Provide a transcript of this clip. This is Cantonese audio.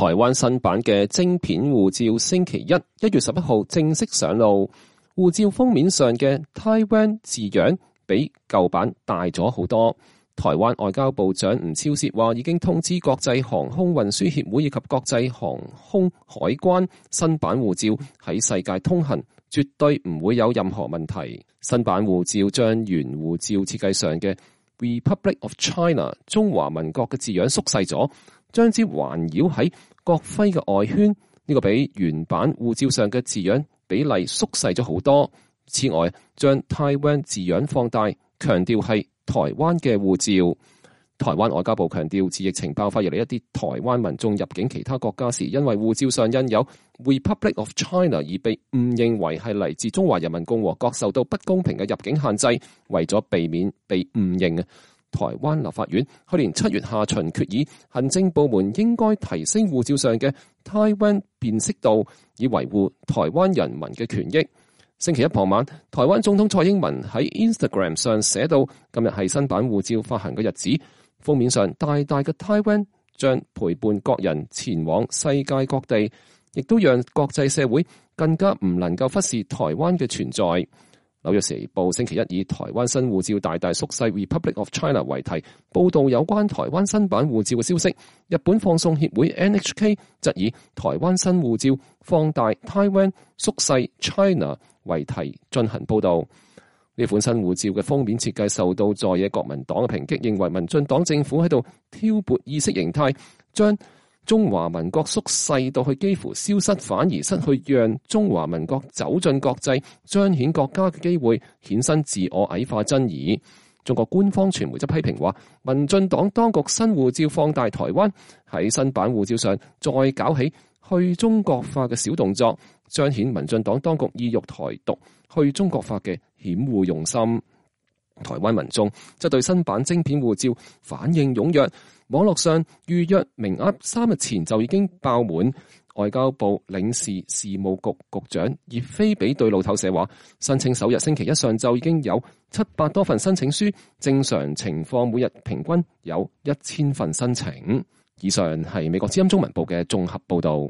台灣新版嘅晶片護照星期一1月11號正式上路，護照封面上嘅 Taiwan 字樣比舊版大咗好多。台灣外交部長吳釗燮話已經通知國際航空運輸協會以及國際航空海關，新版護照喺世界通行，絕對唔會有任何問題。新版護照將原護照設計上嘅 Republic of China 中華民國嘅字樣縮細咗，將之環繞喺國徽嘅外圈，呢個比原版護照上嘅字樣比例縮細咗好多。此外，將 Taiwan 字樣放大，強調係台灣嘅護照。台灣外交部強調，自疫情爆發以嚟，一啲台灣民眾入境其他國家時，因為護照上印有 Republic of China 而被誤認為係嚟自中華人民共和國，受到不公平嘅入境限制。為咗避免被誤認，台灣立法院去年7月下旬決議，行政部門應該提升護照上嘅 Taiwan 辨識度，以維護台灣人民嘅權益。星期一傍晚，台灣總統蔡英文喺 Instagram 上寫到，今日係新版護照發行嘅日子，封面上大大嘅 Taiwan 將陪伴國人前往世界各地，亦都讓國際社會更加唔能夠忽視台灣嘅存在。紐約時報星期一以台灣新護照大大縮細 Republic of China 為題，報導有關台灣新版護照嘅消息。日本放送協會 NHK 則以台灣新護照放大 Taiwan 縮細 China 為題進行報導。呢款新護照嘅封面設計受到在野國民黨嘅抨擊，認為民進黨政府喺度挑撥意識形態，將中華民國縮細到去幾乎消失，反而失去讓中華民國走進國際、彰顯國家嘅機會，衍生自我矮化爭議。中國官方傳媒則批評話，民進黨當局新護照放大台灣，喺新版護照上再搞起去中國化嘅小動作，彰顯民進黨當局意欲台獨、去中國化嘅險惡用心。台灣民眾則對新版晶片護照反應踴躍，網絡上預約名額3日前就已經爆滿。外交部領事事務局局長葉菲比對路透社話，申請首日星期一上晝已經有700多份申請書，正常情況每日平均有1000份申請。以上係美國之音中文部嘅綜合報道。